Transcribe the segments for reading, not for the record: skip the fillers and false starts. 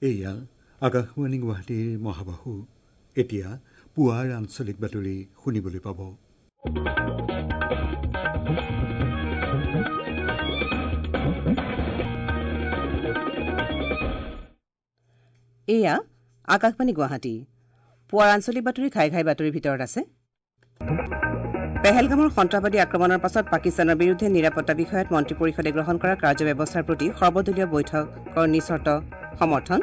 এয়া আকাশবাণী গুৱাহাটীৰ মহাবাহু। এতিয়া পুৱাৰ আঞ্চলিক বাতৰি শুনিবলৈ পাব। এয়া আকাশবাণী গুৱাহাটী। পুৱাৰ আঞ্চলিক বাতৰি ঘাই ঘাই বাতৰিৰ ভিতৰত আছে: পেহেলগামৰ সন্ত্ৰাসবাদী আক্ৰমণৰ পাছত পাকিস্তানৰ বিৰুদ্ধে নিৰাপত্তা বিষয়ত মন্ত্ৰী পৰিষদে গ্ৰহণ কৰা কাৰ্যব্যৱস্থাৰ প্ৰতি সৰ্বদলীয় বৈঠকৰ নিঃচৰ্ত সমৰ্থন।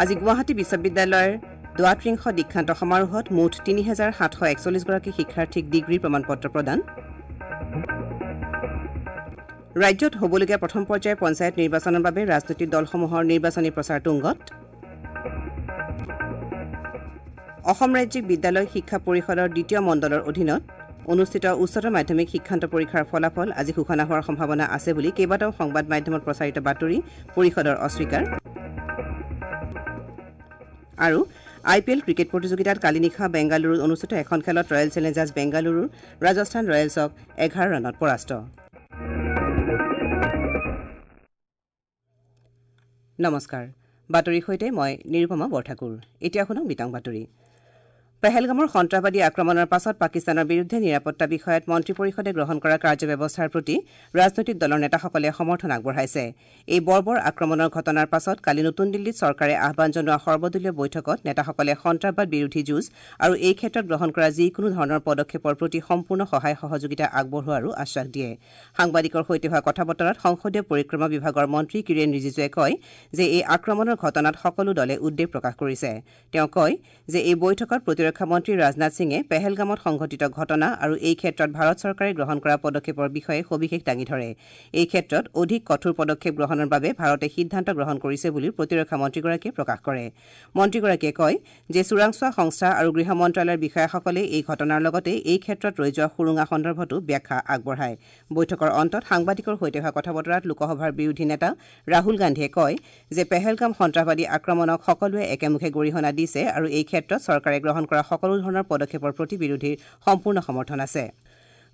আজি গুৱাহাটী বিশ্ববিদ্যালয়ৰ দ্বাত্ৰিংশ দীক্ষান্ত সমাৰোহত মুঠ ৩৭৪১ গৰাকী শিক্ষাৰ্থীক ডিগ্ৰীৰ প্ৰমাণপত্ৰ প্ৰদান। ৰাজ্যত হ'বলগীয়া প্ৰথম পৰ্যায়ৰ পঞ্চায়ত নিৰ্বাচনৰ বাবে ৰাজনৈতিক দলসমূহৰ নিৰ্বাচনী প্ৰচাৰ তুংগত। অসম ৰাজ্যিক বিদ্যালয় শিক্ষা পৰিষদৰ দ্বিতীয় মণ্ডলৰ অধীনত অনুষ্ঠিত উচ্চতৰ মাধ্যমিক শিক্ষান্ত পৰীক্ষাৰ ফলাফল আজি ঘোষণা হোৱাৰ সম্ভাৱনা আছে বুলি কেইবাটাও সংবাদ মাধ্যমত প্ৰচাৰিত বাতৰি পৰিষদৰ অস্বীকাৰ। আৰু আই পি এল ক্ৰিকেট প্ৰতিযোগিতাত কালি নিশা বেংগালুৰুত অনুষ্ঠিত এখন খেলত ৰয়েল চেলেঞ্জাৰ্ছ বেংগালুৰুৰ ৰাজস্থান ৰয়েলছক ১১ ৰানত পৰাস্ত। নমস্কাৰ, বাতৰিৰ সৈতে মই নিৰুপমা বৰঠাকুৰ। এতিয়া শুনক বিতং বাতৰি। পেহেলগামৰ সন্ত্ৰাসবাদী আক্ৰমণৰ পাছত পাকিস্তানৰ বিৰুদ্ধে নিৰাপত্তা বিষয়ত মন্ত্ৰী পৰিষদে গ্ৰহণ কৰা কাৰ্যব্যৱস্থাৰ প্ৰতি ৰাজনৈতিক দলৰ নেতাসকলে সমৰ্থন আগবঢ়াইছে। এই বৰ্বৰ আক্ৰমণৰ ঘটনাৰ পাছত কালি নতুন দিল্লীত চৰকাৰে আহ্বান জনোৱা সৰ্বদলীয় বৈঠকত নেতাসকলে সন্ত্ৰাসবাদ বিৰোধী যুঁজ আৰু এই ক্ষেত্ৰত গ্ৰহণ কৰা যিকোনো ধৰণৰ পদক্ষেপৰ প্ৰতি সম্পূৰ্ণ সহায় সহযোগিতা আগবঢ়োৱাৰো আশ্বাস দিয়ে। সাংবাদিকৰ সৈতে হোৱা কথা বতৰাত সংসদীয় পৰিক্ৰমা বিভাগৰ মন্ত্ৰী কিৰেণ ৰিজিজুৱে কয় যে এই আক্ৰমণৰ ঘটনাত সকলো দলে উদ্বেগ প্ৰকাশ কৰিছে। তেওঁ কয় যে এই বৈঠকত প্ৰতিৰক্ষা মন্ত্ৰী ৰাজনাথ সিঙে পেহেলগামত সংঘটিত ঘটনা আৰু এই ক্ষেত্ৰত ভাৰত চৰকাৰে গ্ৰহণ কৰা পদক্ষেপৰ বিষয়ে সবিশেষ দাঙি ধৰে। এই ক্ষেত্ৰত অধিক কঠোৰ পদক্ষেপ গ্ৰহণৰ বাবে ভাৰতে সিদ্ধান্ত গ্ৰহণ কৰিছে বুলিও প্ৰতিৰক্ষা মন্ত্ৰীগৰাকীয়ে প্ৰকাশ কৰে। মন্ত্ৰীগৰাকীয়ে কয় যে চোৰাংচোৱা সংস্থা আৰু গৃহ মন্ত্ৰালয়ৰ বিষয়াসকলে এই ঘটনাৰ লগতে এই ক্ষেত্ৰত ৰৈ যোৱা সুৰুঙা সন্দৰ্ভতো ব্যাখ্যা আগবঢ়ায়। বৈঠকৰ অন্তত সাংবাদিকৰ সৈতে হোৱা কথা বতৰাত লোকসভাৰ বিৰোধী নেতা ৰাহুল গান্ধীয়ে কয় যে পেহেলগাম সন্ত্ৰাসবাদী আক্ৰমণক সকলোৱে একেমুখে গৰিহণা দিছে আৰু এই ক্ষেত্ৰত চৰকাৰে গ্ৰহণ কৰা সকলো ধৰণৰ পদক্ষেপৰ প্ৰতি বিৰোধীৰ সম্পূৰ্ণ সমৰ্থন আছে।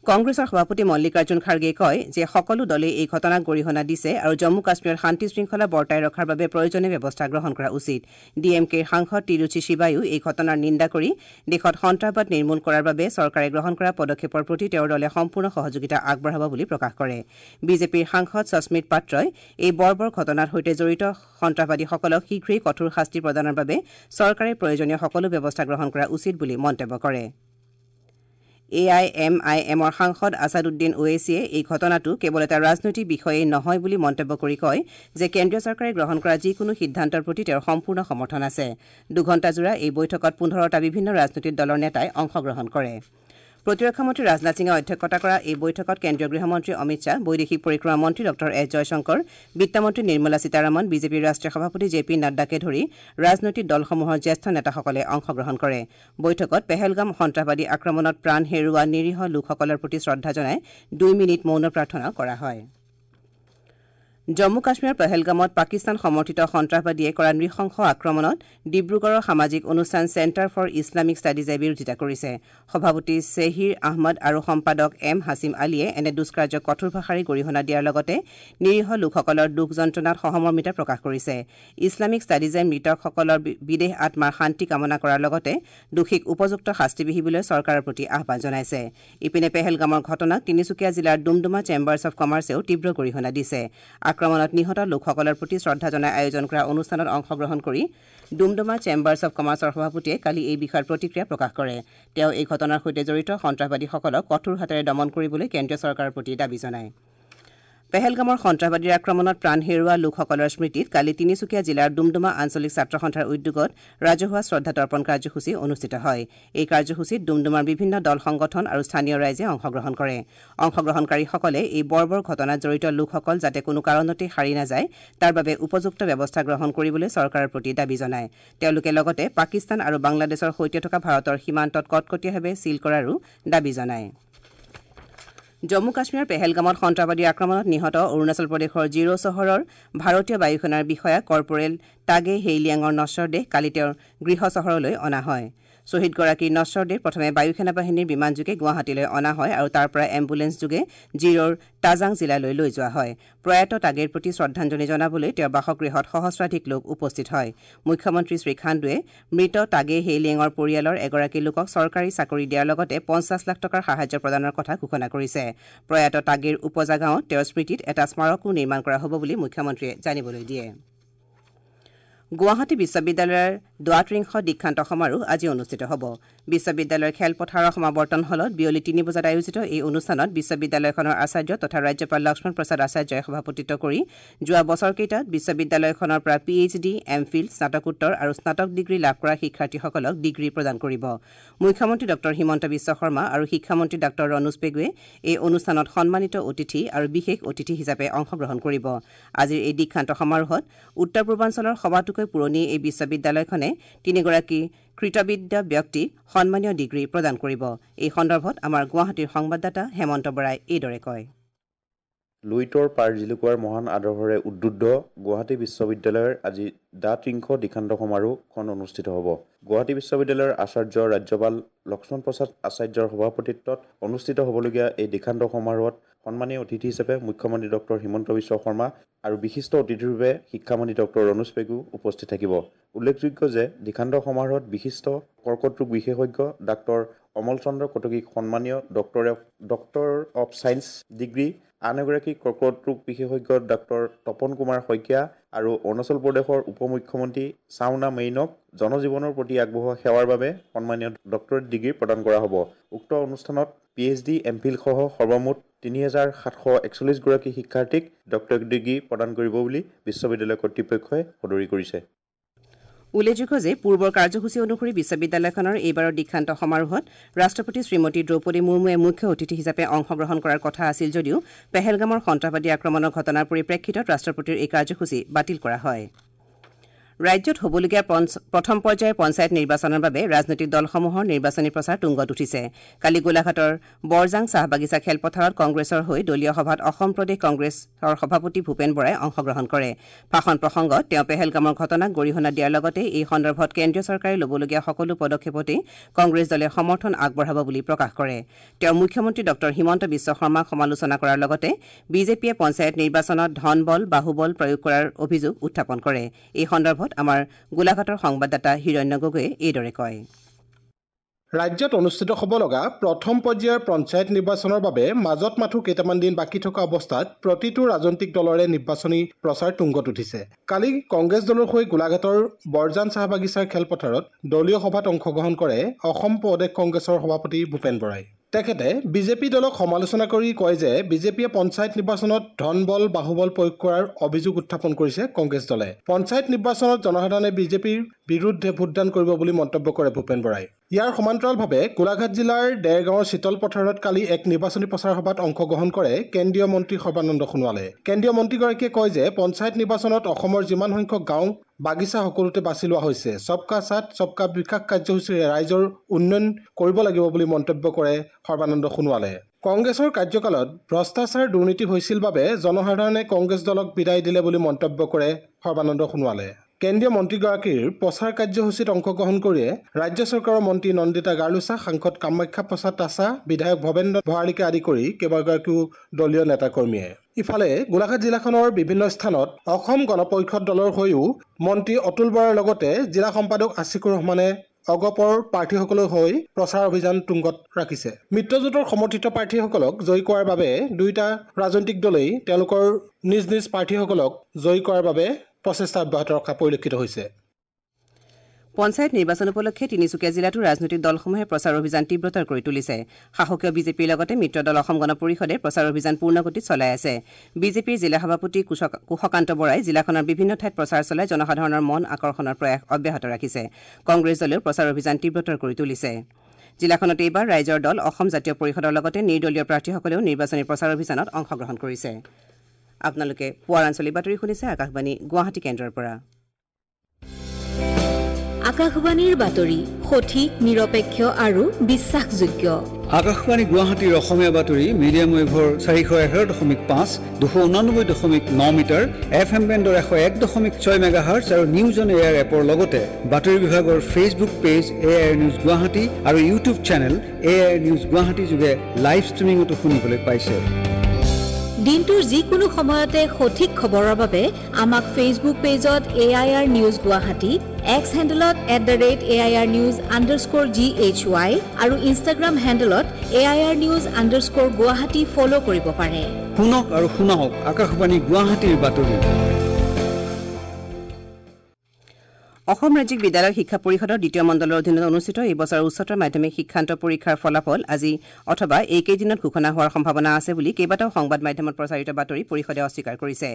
কংগ্ৰেছৰ সভাপতি মল্লিকাৰ্জুন খাৰ্গেই কয় যে সকলো দলেই এই ঘটনাক গৰিহণা দিছে আৰু জম্মু কাশ্মীৰত শান্তি শৃংখলা বৰ্তাই ৰখাৰ বাবে প্ৰয়োজনীয় ব্যৱস্থা গ্ৰহণ কৰা উচিত। ডি এম কেৰ সাংসদ তিৰুচি শিৱায়ো এই ঘটনাৰ নিন্দা কৰি দেশত সন্ত্ৰাসবাদ নিৰ্মূল কৰাৰ বাবে চৰকাৰে গ্ৰহণ কৰা পদক্ষেপৰ প্ৰতি তেওঁৰ দলে সম্পূৰ্ণ সহযোগিতা আগবঢ়াব বুলি প্ৰকাশ কৰে। বিজেপিৰ সাংসদ সস্মিত পাত্ৰই এই বৰ্বৰ ঘটনাৰ সৈতে জড়িত সন্ত্ৰাসবাদীসকলক শীঘ্ৰেই কঠোৰ শাস্তি প্ৰদানৰ বাবে চৰকাৰে প্ৰয়োজনীয় সকলো ব্যৱস্থা গ্ৰহণ কৰা উচিত বুলি মন্তব্য কৰে। এ I am আই এমৰ সাংসদ আছাদুদ্দিন ওৱেছিয়ে এই ঘটনাটো কেৱল এটা ৰাজনৈতিক বিষয়েই নহয় বুলি মন্তব্য কৰি কয় যে কেন্দ্ৰীয় চৰকাৰে গ্ৰহণ কৰা যিকোনো সিদ্ধান্তৰ প্ৰতি তেওঁৰ সম্পূৰ্ণ সমৰ্থন আছে। দুঘণ্টাজোৰা এই বৈঠকত ১৫টা বিভিন্ন ৰাজনৈতিক দলৰ নেতাই অংশগ্ৰহণ কৰে। প্ৰতিৰক্ষা মন্ত্ৰী ৰাজনাথ সিঙে অধ্যক্ষতা কৰা এই বৈঠকত কেন্দ্ৰীয় গৃহমন্ত্ৰী অমিত শ্বাহ, বৈদেশিক পৰিক্ৰমা মন্ত্ৰী ডঃ এছ জয়শংকৰ, বিত্তমন্ত্ৰী নিৰ্মলা সীতাৰমণ, বিজেপিৰ ৰাষ্ট্ৰীয় সভাপতি জে পি নাড্ডাকে ধৰি ৰাজনৈতিক দলসমূহৰ জ্যেষ্ঠ নেতাসকলে অংশগ্ৰহণ কৰে। বৈঠকত পেহেলগাম সন্ত্ৰাসবাদী আক্ৰমণত প্ৰাণ হেৰুওৱা নিৰীহ লোকসকলৰ প্ৰতি শ্ৰদ্ধা জনাই ২ মিনিট মৌন প্ৰাৰ্থনাও কৰা হয়। জম্মু কাশ্মীৰৰ পেহেলগামত পাকিস্তান সমৰ্থিত সন্ত্ৰাসবাদীয়ে কৰা নৃশংস আক্ৰমণত ডিব্ৰুগড়ৰ সামাজিক অনুষ্ঠান চেণ্টাৰ ফৰ ইছলামিক ষ্টাডিজে বিৰোধিতা কৰিছে। সভাপতি চেহিৰ আহমদ আৰু সম্পাদক এম হাছিম আলীয়ে এনে দুষ্কাৰ্যক কঠোৰ ভাষাৰে গৰিহণা দিয়াৰ লগতে নিৰীহ লোকসকলৰ দুখ যন্ত্ৰণাত সহমৰ্মিতা প্ৰকাশ কৰিছে। ইছলামিক ষ্টাডিজে মৃতকসকলৰ বিদেহ আত্মাৰ শান্তি কামনা কৰাৰ লগতে দোষীক উপযুক্ত শাস্তি বিহিবলৈ চৰকাৰৰ প্ৰতি আহ্বান জনাইছে। ইপিনে পেহেলগামৰ ঘটনাক তিনিচুকীয়া জিলাৰ ডুমডুমা চেম্বাৰ্ছ অৱ কমাৰ্চেও তীব্ৰ গৰিহণা দিছে। আক্ৰমণত নিহত লোকসকলৰ প্ৰতি শ্ৰদ্ধা জনাই আয়োজন কৰা অনুষ্ঠানত অংশগ্ৰহণ কৰি ডুমডুমা চেম্বাৰ্ছ অৱ কমাৰ্চৰ সভাপতিয়ে কালি এই বিষয়ত প্ৰতিক্ৰিয়া প্ৰকাশ কৰে। তেওঁ এই ঘটনাৰ সৈতে জড়িত সন্ত্ৰাসবাদীসকলক কঠোৰ হাতেৰে দমন কৰিবলৈ কেন্দ্ৰীয় চৰকাৰৰ প্ৰতি দাবী জনায়। পেহেলগামৰ সন্ত্ৰাসবাদীৰ আক্ৰমণত প্ৰাণ হেৰুওৱা লোকসকলৰ স্মৃতিত কালি তিনিচুকীয়া জিলাৰ ডুমডুমা আঞ্চলিক ছাত্ৰ সন্থাৰ উদ্যোগত ৰাজহুৱা শ্ৰদ্ধা তৰ্পণ কাৰ্যসূচী অনুষ্ঠিত হয়। এই কাৰ্যসূচীত ডুমডুমাৰ বিভিন্ন দল সংগঠন আৰু স্থানীয় ৰাইজে অংশগ্ৰহণ কৰে। অংশগ্ৰহণকাৰীসকলে এই বৰ্বৰ ঘটনাত জড়িত লোকসকল যাতে কোনো কাৰণতেই সাৰি নাযায় তাৰ বাবে উপযুক্ত ব্যৱস্থা গ্ৰহণ কৰিবলৈ চৰকাৰৰ প্ৰতি দাবী জনায়। তেওঁলোকে লগতে পাকিস্তান আৰু বাংলাদেশৰ সৈতে থকা ভাৰতৰ সীমান্তত কটকটীয়াভাৱে ছীল কৰাৰো দাবী জনায়। জম্মু কাশ্মীৰৰ পেহেলগামত সন্ত্ৰাসবাদীৰ আক্ৰমণত নিহত অৰুণাচল প্ৰদেশৰ জিৰ' চহৰৰ ভাৰতীয় বায়ুসেনাৰ বিষয়া কৰ্পৰেল টাগে হেইলিয়াঙৰ নশ্বৰ দেহ কালি তেওঁৰ গৃহ চহৰলৈ অনা হয়। শ্বহীদগৰাকীৰ নশ্বৰ দেহ প্ৰথমে বায়ুসেনা বাহিনীৰ বিমানযোগে গুৱাহাটীলৈ অনা হয় আৰু তাৰ পৰা এম্বুলেন্সযোগে জিৰ'ৰ তাজাং জিলালৈ লৈ যোৱা হয়। প্ৰয়াত টাগেৰ প্ৰতি শ্ৰদ্ধাঞ্জলি জনাবলৈ তেওঁৰ বাসগৃহত সহস্ৰাধিক লোক উপস্থিত হয়। মুখ্যমন্ত্ৰী শ্ৰী খাণ্ডুৱে মৃত টাগে হেইলিঙৰ পৰিয়ালৰ এগৰাকী লোকক চৰকাৰী চাকৰি দিয়াৰ লগতে 50 লাখ টকাৰ সাহায্য প্ৰদানৰ কথা ঘোষণা কৰিছে। প্ৰয়াত টাগেৰ উপজা গাঁৱত তেওঁৰ স্মৃতিত এটা স্মাৰকো নিৰ্মাণ কৰা হ'ব বুলি মুখ্যমন্ত্ৰীয়ে জানিবলৈ দিয়ে। গুৱাহাটী বিশ্ববিদ্যালয়ৰ দ্বাত্ৰিংশ দীক্ষান্ত সমাৰোহ আজি অনুষ্ঠিত হ'ব। বিশ্ববিদ্যালয়ৰ খেলপথাৰৰ সমাৱৰ্তন হলত বিয়লি 3 বজাত আয়োজিত এই অনুষ্ঠানত বিশ্ববিদ্যালয়খনৰ আচাৰ্য তথা ৰাজ্যপাল লক্ষ্মণ প্ৰসাদ আচাৰ্যই সভাপতিত্ব কৰি যোৱা বছৰকেইটাত বিশ্ববিদ্যালয়খনৰ পৰা P H D, M Phil, স্নাতকোত্তৰ আৰু স্নাতক ডিগ্ৰী লাভ কৰা শিক্ষাৰ্থীসকলক ডিগ্ৰী প্ৰদান কৰিব। মুখ্যমন্ত্ৰী ডঃ হিমন্ত বিশ্ব শৰ্মা আৰু শিক্ষামন্ত্ৰী ডঃ ৰণোজ পেগুৱে এই অনুষ্ঠানত সন্মানিত অতিথি আৰু বিশেষ অতিথি হিচাপে অংশগ্ৰহণ কৰিব। আজিৰ এই দীক্ষান্ত সমাৰোহত উত্তৰ পূৰ্বাঞ্চলৰ সবাতোকৈ পুৰণি এই বিশ্ববিদ্যালয়খনে তিনিগৰাকী কৃতবিদ্য ব্যক্তিক সন্মানীয় ডিগ্ৰী প্ৰদান কৰিব। এই সন্দৰ্ভত আমাৰ গুৱাহাটীৰ সংবাদদাতা হেমন্ত বৰাই এইদৰে কয়। লুইতৰ পাৰ জিলুকোৱাৰ মহান আদৰ্শৰে উদ্বুদ্ধ গুৱাহাটী বিশ্ববিদ্যালয়ৰ আজি দ্বাত্ৰিংশ দীক্ষান্ত সমাৰোহখন অনুষ্ঠিত হ'ব। গুৱাহাটী বিশ্ববিদ্যালয়ৰ আচাৰ্য ৰাজ্যপাল লক্ষ্মণ প্ৰসাদ আচাৰ্যৰ সভাপতিত্বত অনুষ্ঠিত হ'বলগীয়া এই দীক্ষান্ত সমাৰোহত সন্মানীয় অতিথি হিচাপে মুখ্যমন্ত্ৰী ডঃ হিমন্ত বিশ্ব শৰ্মা আৰু বিশিষ্ট অতিথিৰূপে শিক্ষামন্ত্ৰী ডঃ ৰণোজ পেগু উপস্থিত থাকিব। উল্লেখযোগ্য যে দীক্ষান্ত সমাৰোহত বিশিষ্ট কৰ্কট ৰোগ বিশেষজ্ঞ ডাঃ অমল চন্দ্ৰ কটকীক সন্মানীয় ডক্টৰ অৱ ছায়েন্স ডিগ্ৰী, আন এগৰাকী কৰ্কট ৰোগ বিশেষজ্ঞ ডাঃ তপন কুমাৰ শইকীয়া আৰু অৰুণাচল প্ৰদেশৰ উপ মুখ্যমন্ত্ৰী চাওনা মেইনক জনজীৱনৰ প্ৰতি আগবঢ়োৱা সেৱাৰ বাবে সন্মানীয় ডক্টৰেট ডিগ্ৰী প্ৰদান কৰা হ'ব। উক্ত অনুষ্ঠানত পি এইচ ডি, এম ফিলসহ সৰ্বমুঠ 3741 গৰাকী শিক্ষাৰ্থীক ডক্টৰেট ডিগ্ৰী প্ৰদান কৰিব বুলি বিশ্ববিদ্যালয় কৰ্তৃপক্ষই সদৰি কৰিছে। উল্লেখযোগ্য যে পূৰ্বৰ কাৰ্যসূচী অনুসৰি বিশ্ববিদ্যালয়খনৰ এইবাৰৰ দীক্ষান্ত সমাৰোহত ৰাষ্ট্ৰপতি শ্ৰীমতী দ্ৰৌপদী মুৰ্মুৱে মুখ্য অতিথি হিচাপে অংশগ্ৰহণ কৰাৰ কথা আছিল যদিও পেহেলগামৰ সন্ত্ৰাসবাদী আক্ৰমণৰ ঘটনাৰ পৰিপ্ৰেক্ষিতত ৰাষ্ট্ৰপতিৰ এই কাৰ্যসূচী বাতিল কৰা হয়। ৰাজ্যত হ'বলগীয়া প্ৰথম পৰ্যায়ৰ পঞ্চায়ত নিৰ্বাচনৰ বাবে ৰাজনৈতিক দলসমূহৰ নিৰ্বাচনী প্ৰচাৰ তুংগত উঠিছে। কালি গোলাঘাটৰ বৰজাং চাহ বাগিচা খেলপথাৰত কংগ্ৰেছৰ হৈ দলীয় সভাত অসম প্ৰদেশ কংগ্ৰেছৰ সভাপতি ভূপেন বৰাই অংশগ্ৰহণ কৰে। ভাষণ প্ৰসংগত তেওঁ পেহেলগামৰ ঘটনাক গৰিহণা দিয়াৰ লগতে এই সন্দৰ্ভত কেন্দ্ৰীয় চৰকাৰে ল'বলগীয়া সকলো পদক্ষেপতেই কংগ্ৰেছ দলে সমৰ্থন আগবঢ়াব বুলি প্ৰকাশ কৰে। তেওঁ মুখ্যমন্ত্ৰী ডঃ হিমন্ত বিশ্ব শৰ্মাক সমালোচনা কৰাৰ লগতে বিজেপিয়ে পঞ্চায়ত নিৰ্বাচনত ধনবল বাহুবল প্ৰয়োগ কৰাৰ অভিযোগ উত্থাপন কৰে। এই সন্দৰ্ভত আমাৰ গোলাঘাটৰ সংবাদদাতা হিৰণ্য গগৈয়ে এইদৰে কয়। ৰাজ্যত অনুষ্ঠিত হ'ব লগা প্ৰথম পৰ্যায়ৰ পঞ্চায়ত নিৰ্বাচনৰ বাবে মাজত মাথো কেইটামান দিন বাকী থকা অৱস্থাত প্ৰতিটো ৰাজনৈতিক দলৰে নিৰ্বাচনী প্ৰচাৰ তুংগত উঠিছে। কালি কংগ্ৰেছ দলৰ হৈ গোলাঘাটৰ বৰজান চাহ বাগিচাৰ খেলপথাৰত দলীয় সভাত অংশগ্ৰহণ কৰে অসম প্ৰদেশ কংগ্ৰেছৰ সভাপতি ভূপেন বৰাই। তেখেতে বিজেপি দলক সমালোচনা কৰি কয় যে বিজেপিয়ে পঞ্চায়ত নিৰ্বাচনত ধনবল বাহুবল প্ৰয়োগ কৰাৰ অভিযোগ উত্থাপন কৰিছে কংগ্ৰেছ দলে। পঞ্চায়ত নিৰ্বাচনত জনসাধাৰণে বিজেপিৰ বিৰুদ্ধে ভোটদান কৰিব বুলি মন্তব্য কৰে ভূপেন বৰাই। ইয়াৰ সমান্তৰালভাৱে গোলাঘাট জিলাৰ দেৰগাঁৱৰ শীতল পথাৰত কালি এক নিৰ্বাচনী প্ৰচাৰ সভাত অংশগ্ৰহণ কৰে কেন্দ্ৰীয় মন্ত্ৰী সৰ্বানন্দ সোণোৱালে। কেন্দ্ৰীয় মন্ত্ৰীগৰাকীয়ে কয় যে পঞ্চায়ত নিৰ্বাচনত অসমৰ যিমান সংখ্যক গাঁও বাগিচা সকলোতে বাছি লোৱা হৈছে। সবকা সাথ সবকা বিকাশ কাৰ্যসূচীৰে ৰাইজৰ উন্নয়ন কৰিব লাগিব বুলি মন্তব্য কৰে সৰ্বানন্দ সোণোৱালে। কংগ্ৰেছৰ কাৰ্যকালত ভ্ৰষ্টাচাৰ দুৰ্নীতি হৈছিল বাবে জনসাধাৰণে কংগ্ৰেছ দলক বিদায় দিলে বুলি মন্তব্য কৰে সৰ্বানন্দ সোণোৱালে। কেন্দ্ৰীয় মন্ত্ৰীগৰাকীৰ প্ৰচাৰ কাৰ্যসূচীত অংশগ্ৰহণ কৰিয়ে ৰাজ্য চৰকাৰৰ মন্ত্ৰী নন্দিতা গাৰ্লোচা, সাংসদ কামাখ্যা প্ৰসাদ তাছা, বিধায়ক ভৱেন্দ্ৰ ভৰালীকে আদি কৰি কেইবাগৰাকীও দলীয় নেতাকৰ্মীয়ে। ইফালে গোলাঘাট জিলাখনৰ বিভিন্ন স্থানত অসম গণ পৰিষদ দলৰ হৈও মন্ত্ৰী অতুল বৰাৰ লগতে জিলা সম্পাদক আছিকুৰ ৰহমানে অগপৰ প্ৰাৰ্থীসকলৰ হৈ প্ৰচাৰ অভিযান তুংগত ৰাখিছে। মিত্ৰজোঁটৰ সমৰ্থিত প্ৰাৰ্থীসকলক জয়ী কৰাৰ বাবে দুয়োটা ৰাজনৈতিক দলেই তেওঁলোকৰ নিজ নিজ প্ৰাৰ্থীসকলক জয়ী কৰাৰ বাবে প্ৰচেষ্টা অব্যাহত ৰখা পৰিলক্ষিত হৈছে। পঞ্চায়ত নিৰ্বাচন উপলক্ষে তিনিচুকীয়া জিলাতো ৰাজনৈতিক দলসমূহে প্ৰচাৰ অভিযান তীব্ৰতৰ কৰি তুলিছে। শাসকীয় বিজেপিৰ লগতে মিত্ৰ দল অসম গণ পৰিষদে প্ৰচাৰ অভিযান পূৰ্ণগতিত চলাই আছে। বিজেপিৰ জিলা সভাপতি কুশকান্ত বৰাই জিলাখনৰ বিভিন্ন ঠাইত প্ৰচাৰ চলাই জনসাধাৰণৰ মন আকৰ্ষণৰ প্ৰয়াস অব্যাহত ৰাখিছে। কংগ্ৰেছ দলেও প্ৰচাৰ অভিযান তীব্ৰতৰ কৰি তুলিছে। জিলাখনত এইবাৰ ৰাইজৰ দল অসম জাতীয় পৰিষদৰ লগতে নিৰ্দলীয় প্ৰাৰ্থীসকলেও নিৰ্বাচনী প্ৰচাৰ অভিযানত অংশগ্ৰহণ কৰিছে। আপোনালোকে পুৱাৰ আঞ্চলিক বাতৰি শুনিছে আকাশবাণী গুৱাহাটী কেন্দ্ৰৰ পৰা। আকাশবাণীৰ বাতৰি সঠিক, নিৰপেক্ষ আৰু বিশ্বাসযোগ্য। আকাশবাণী গুৱাহাটীৰ অসমীয়া বাতৰি মিডিয়াম ৱেভৰ 411.5, 289.9 মিটাৰ, এফ এম বেণ্ডৰ 101.6 মেগাহাৰ্টছ আৰু নিউজ অন এয়াৰ এপৰ লগতে বাতৰি বিভাগৰ Facebook page A I news Guwahati আৰু YouTube channel A I news Guwahati যোগে লাইভ ষ্ট্ৰিমিঙতো শুনিবলৈ পাইছে। দিনটোৰ যিকোনো সময়তে সঠিক খবৰৰ বাবে আমাক ফেচবুক পেজত AIR news Guwahati, x হেণ্ডেলত @AIRnews_GHY আৰু ইনষ্টাগ্ৰাম হেণ্ডেলত AIRnews_Guwahati follow কৰিব পাৰে। শুনক আৰু শুনাওক আকাশবাণী গুৱাহাটীৰ বাতৰি। অসম ৰাজ্যিক বিদ্যালয় শিক্ষা পৰিষদৰ দ্বিতীয় মণ্ডলৰ অধীনত অনুষ্ঠিত এই বছৰৰ উচ্চতৰ মাধ্যমিক শিক্ষান্ত পৰীক্ষাৰ ফলাফল আজি অথবা এইকেইদিনত ঘোষণা হোৱাৰ সম্ভাৱনা আছে বুলি কেইবাটাও সংবাদ মাধ্যমত প্ৰচাৰিত বাতৰি পৰিষদে অস্বীকাৰ কৰিছে।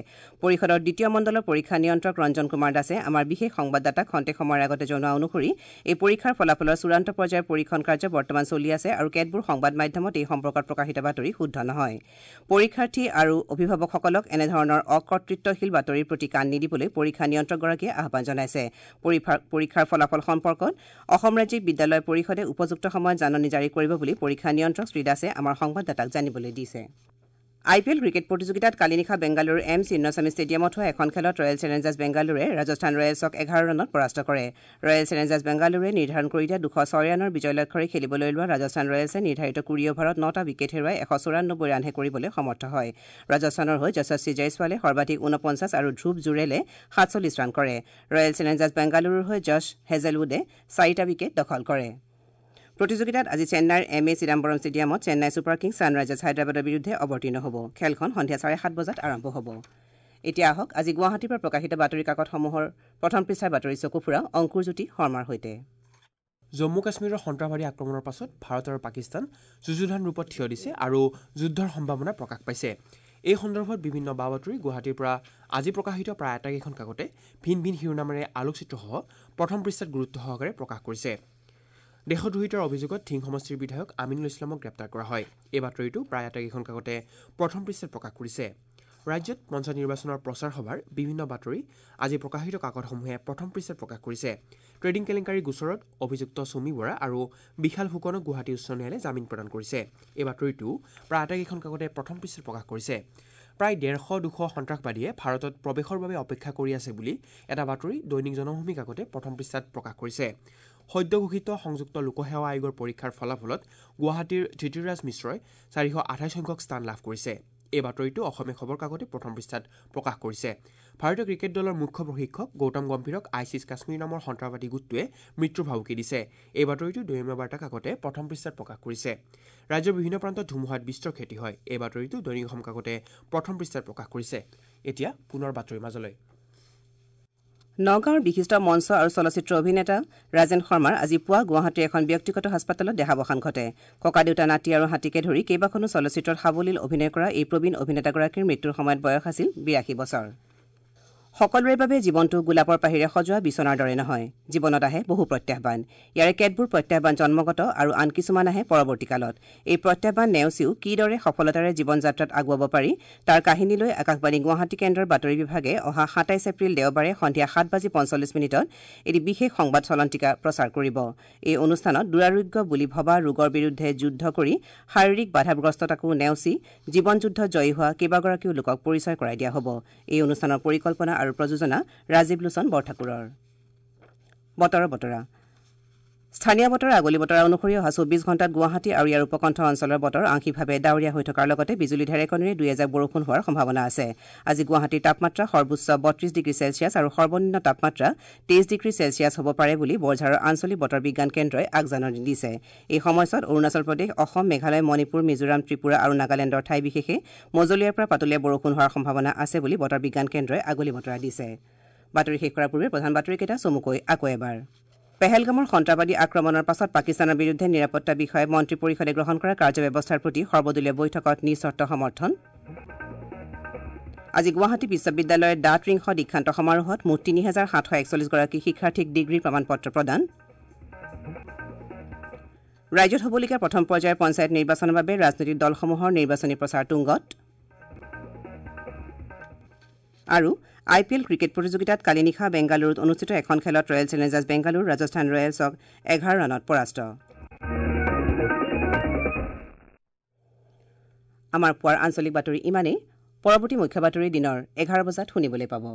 পৰিষদৰ দ্বিতীয় মণ্ডলৰ পৰীক্ষা নিয়ন্ত্ৰক ৰঞ্জন কুমাৰ দাসে আমাৰ বিশেষ সংবাদদাতাক খন্তেক সময়ৰ আগতে জনোৱা অনুসৰি এই পৰীক্ষাৰ ফলাফলৰ চূড়ান্ত পৰ্যায়ৰ পৰীক্ষণ কাৰ্য বৰ্তমান চলি আছে আৰু কেতবোৰ সংবাদ মাধ্যমত এই সম্পৰ্কত প্ৰকাশিত বাতৰি শুদ্ধ নহয়। পৰীক্ষাৰ্থী আৰু অভিভাৱকসকলক এনেধৰণৰ অকৰ্তৃত্বশীল বাতৰিৰ প্ৰতি কাণ নিদিবলৈ পৰীক্ষা নিয়ন্ত্ৰকগৰাকীয়ে আহ্বান জনাইছে। পৰীক্ষাৰ ফলাফল সম্পৰ্কত অসম ৰাজ্যিক বিদ্যালয় পৰিষদে উপযুক্ত সময়ত জাননী জাৰি কৰিব বুলি পৰীক্ষা নিয়ন্ত্ৰক শ্ৰীদাসে আমাৰ সংবাদদাতাক জানিবলৈ দিছে। আই পি এল ক্ৰিকেট প্ৰতিযোগিতাত কালি নিশা বেংগালুৰুৰ এম চিন্নস্বামী ষ্টেডিয়ামত হোৱা এখন খেলত ৰয়েল চেলেঞ্জাৰ্ছ বেংগালুৰুৱে ৰাজস্থান ৰয়েলছক 11 ৰানত পৰাস্ত কৰে। ৰয়েল চেলেঞ্জাৰ্ছ বেংগালুৰুৱে নিৰ্ধাৰণ কৰি দিয়া 206 ৰানৰ বিজয় লক্ষ্যৰে খেলিবলৈ লোৱা ৰাজস্থান ৰয়েলছে নিৰ্ধাৰিত 20 অভাৰত 9টা উইকেট হেৰুৱাই 194 ৰানহে কৰিবলৈ সমৰ্থ হয়। ৰাজস্থানৰ হৈ যশস্বী জয়ছৱালে সৰ্বাধিক 49 আৰু ধ্ৰুৱ জুৰেলে 47 ৰান কৰে। ৰয়েল চেলেঞ্জাৰ্ছ বেংগালুৰুৰ হৈ জছ হেজেলউডে 4টা উইকেট দখল কৰে। প্ৰতিযোগিতাত আজি চেন্নাইৰ এম এ চিদাম্বৰম ষ্টেডিয়ামত চেন্নাই ছুপাৰ কিংছ ছানৰাইজাৰ্ছ হায়দৰাবাদৰ বিৰুদ্ধে অৱতীৰ্ণ হ'ব। খেলখন সন্ধিয়া 7:30 বজাত আৰম্ভ হ'ব। এতিয়া আহক আজি গুৱাহাটীৰ পৰা প্ৰকাশিত বাতৰি কাকতসমূহৰ প্ৰথম পৃষ্ঠাৰ বাতৰি চকু ফুৰাওঁ অংকুৰজ্যোতি শৰ্মাৰ সৈতে। জম্মু কাশ্মীৰৰ সন্ত্ৰাসবাদী আক্ৰমণৰ পাছত ভাৰত আৰু পাকিস্তান যুঁজুধান ৰূপত থিয় দিছে আৰু যুদ্ধৰ সম্ভাৱনা প্ৰকাশ পাইছে। এই সন্দৰ্ভত বিভিন্ন বা বাতৰি গুৱাহাটীৰ পৰা আজি প্ৰকাশিত প্ৰায় আটাইকেইখন কাকতে ভিন ভিন শিৰোনামেৰে আলোকচিত্ৰসহ প্ৰথম পৃষ্ঠাত গুৰুত্ব সহকাৰে প্ৰকাশ কৰিছে। দেশদ্ৰোহিতাৰ অভিযোগত ধিং সমষ্টিৰ বিধায়ক আমিনুল ইছলামক গ্ৰেপ্তাৰ কৰা হয়। এই বাতৰিটো প্ৰায় আটাইকেইখন কাকতে প্ৰথম পৃষ্ঠাত প্ৰকাশ কৰিছে। ৰাজ্যত পঞ্চায়ত নিৰ্বাচনৰ প্ৰচাৰ সভাৰ বিভিন্ন বাতৰি আজি প্ৰকাশিত কাকতসমূহে প্ৰথম পৃষ্ঠাত প্ৰকাশ কৰিছে। ট্ৰেডিং কেলেংকাৰী গোচৰত অভিযুক্ত চুমি বৰা আৰু বিশাল ফুকনক গুৱাহাটী উচ্চ ন্যায়ালয়ে জামিন প্ৰদান কৰিছে। এই বাতৰিটো প্ৰায় আটাইকেইখন কাকতে প্ৰথম পৃষ্ঠাত প্ৰকাশ কৰিছে। প্ৰায় 150-200 সন্ত্ৰাসবাদীয়ে ভাৰতত প্ৰৱেশৰ বাবে অপেক্ষা কৰি আছে বুলি এটা বাতৰি দৈনিক জনভূমি কাকতে প্ৰথম পৃষ্ঠাত প্ৰকাশ কৰিছে। সদ্য ঘোষিত সংযুক্ত লোকসেৱা আয়োগৰ পৰীক্ষাৰ ফলাফলত গুৱাহাটীৰ ধৃতিৰাজ মিশ্ৰই 428 সংখ্যক স্থান লাভ কৰিছে। এই বাতৰিটো অসমীয়া খবৰ কাকতে প্ৰথম পৃষ্ঠাত প্ৰকাশ কৰিছে। ভাৰতীয় ক্ৰিকেট দলৰ মুখ্য প্ৰশিক্ষক গৌতম গম্ভীৰক আইছিছ কাশ্মীৰ নামৰ সন্ত্ৰাসবাদী গোটটোৱে মৃত্যুৰ ভাবুকি দিছে। এই বাতৰিটো দৈনিক বাৰ্তা কাকতে প্ৰথম পৃষ্ঠাত প্ৰকাশ কৰিছে। ৰাজ্যৰ বিভিন্ন প্ৰান্তত ধুমুহাত বিস্তৰ ক্ষতি হয়। এই বাতৰিটো দৈনিক অসম কাকতে প্ৰথম পৃষ্ঠাত প্ৰকাশ কৰিছে। এতিয়া পুনৰ বাতৰিৰ মাজলৈ। নগাঁৱৰ বিশিষ্ট মঞ্চ আৰু চলচ্চিত্ৰ অভিনেতা ৰাজেন শৰ্মাৰ আজি পুৱা গুৱাহাটীৰ এখন ব্যক্তিগত হাস্পতালত দেহাৱসান ঘটে। ককাদেউতা নাতি আৰু হাতীকে ধৰি কেইবাখনো চলচ্চিত্ৰত সাৱলীল অভিনয় কৰা এই প্ৰবীণ অভিনেতাগৰাকীৰ মৃত্যুৰ সময়ত বয়স আছিল 82 বছৰ। সকলোৰে বাবে জীৱনটো গোলাপৰ পাহিৰে সজোৱা বিচনাৰ দৰে নহয়। জীৱনত আহে বহু প্ৰত্যাহ্বান। ইয়াৰে কেতবোৰ প্ৰত্যাহ্বান জন্মগত আৰু আন কিছুমান আহে পৰৱৰ্তী কালত। এই প্ৰত্যাহ্বান নেওচিও কিদৰে সফলতাৰে জীৱন যাত্ৰাত আগুৱাব পাৰি তাৰ কাহিনীলৈ আকাশবাণী গুৱাহাটী কেন্দ্ৰৰ বাতৰি বিভাগে অহা 27 এপ্ৰিল দেওবাৰে সন্ধিয়া 7:45 এটি বিশেষ সংবাদ চলন্তিকা প্ৰচাৰ কৰিব। এই অনুষ্ঠানত দুৰাৰোগ্য বুলি ভবা ৰোগৰ বিৰুদ্ধে যুদ্ধ কৰি শাৰীৰিক বাধাগ্ৰস্ততাকো নেওচি জীৱন যুদ্ধ জয়ী হোৱা কেইবাগৰাকীও লোকক পৰিচয় কৰাই দিয়া হ'ব। এই অনুষ্ঠানৰ পৰিকল্পনা আৰু প্ৰযোজনা ৰাজীৱ লোচন বৰঠাকুৰৰ। বতৰৰ বতৰা। স্থানীয় বতৰৰ আগলি বতৰা অনুসৰি অহা 24 ঘণ্টাত গুৱাহাটী আৰু ইয়াৰ উপকণ্ঠ অঞ্চলৰ বতৰ আংশিকভাৱে ডাৱৰীয়া হৈ থকাৰ লগতে বিজুলী ঢেৰেকনিৰে দুই এজাক বৰষুণ হোৱাৰ সম্ভাৱনা আছে। আজি গুৱাহাটীৰ তাপমাত্ৰা সৰ্বোচ্চ 32 ডিগ্ৰী চেলছিয়াছ আৰু সৰ্বনিম্ন তাপমাত্ৰা 23 ডিগ্ৰী চেলছিয়াছ হ'ব পাৰে বুলি বৰঝাৰৰ আঞ্চলিক বতৰ বিজ্ঞান কেন্দ্ৰই আগজাননী দিছে। এই সময়ছোৱাত অৰুণাচল প্ৰদেশ, অসম, মেঘালয়, মণিপুৰ, মিজোৰাম, ত্ৰিপুৰা আৰু নাগালেণ্ডৰ ঠাই বিশেষে মজলীয়াৰ পৰা পাতলীয়া বৰষুণ হোৱাৰ সম্ভাৱনা আছে বুলি বতৰ বিজ্ঞান কেন্দ্ৰই আগলি বতৰা দিছে। বাতৰি শেষ কৰাৰ পূৰ্বে প্ৰধান বাতৰিকেইটা চমুকৈ আকৌ এবাৰ। পেহেলগামৰ সন্ত্ৰাসবাদী আক্ৰমণৰ পাছত পাকিস্তানৰ বিৰুদ্ধে নিৰাপত্তা বিষয়ে মন্ত্ৰী পৰিষদে গ্ৰহণ কৰা কাৰ্যব্যৱস্থাৰ প্ৰতি সৰ্বদলীয় বৈঠকত নিঃচৰ্ত সমৰ্থন। আজি গুৱাহাটী বিশ্ববিদ্যালয়ৰ দ্বাত্ৰিংশ দীক্ষান্ত সমাৰোহত মুঠ ৩,৭৪১ গৰাকী শিক্ষাৰ্থীক ডিগ্ৰীৰ প্ৰমাণপত্ৰ প্ৰদান। ৰাজ্যত হ'বলগীয়া প্ৰথম পৰ্যায়ৰ পঞ্চায়ত নিৰ্বাচনৰ বাবে ৰাজনৈতিক দলসমূহৰ নিৰ্বাচনী প্ৰচাৰ তুংগত। আৰু আই পি এল ক্ৰিকেট প্ৰতিযোগিতাত কালি নিশা বেংগালুৰুত অনুষ্ঠিত এখন খেলত ৰয়েল চেলেঞ্জাৰ্ছ বেংগালুৰু ৰাজস্থান ৰয়েলছক 11 ৰানত পৰাস্ত। আমাৰ পুৱাৰ আঞ্চলিক বাতৰি ইমানেই। পৰৱৰ্তী মুখ্য বাতৰি দিনৰ 11 বজাত শুনিবলৈ পাব।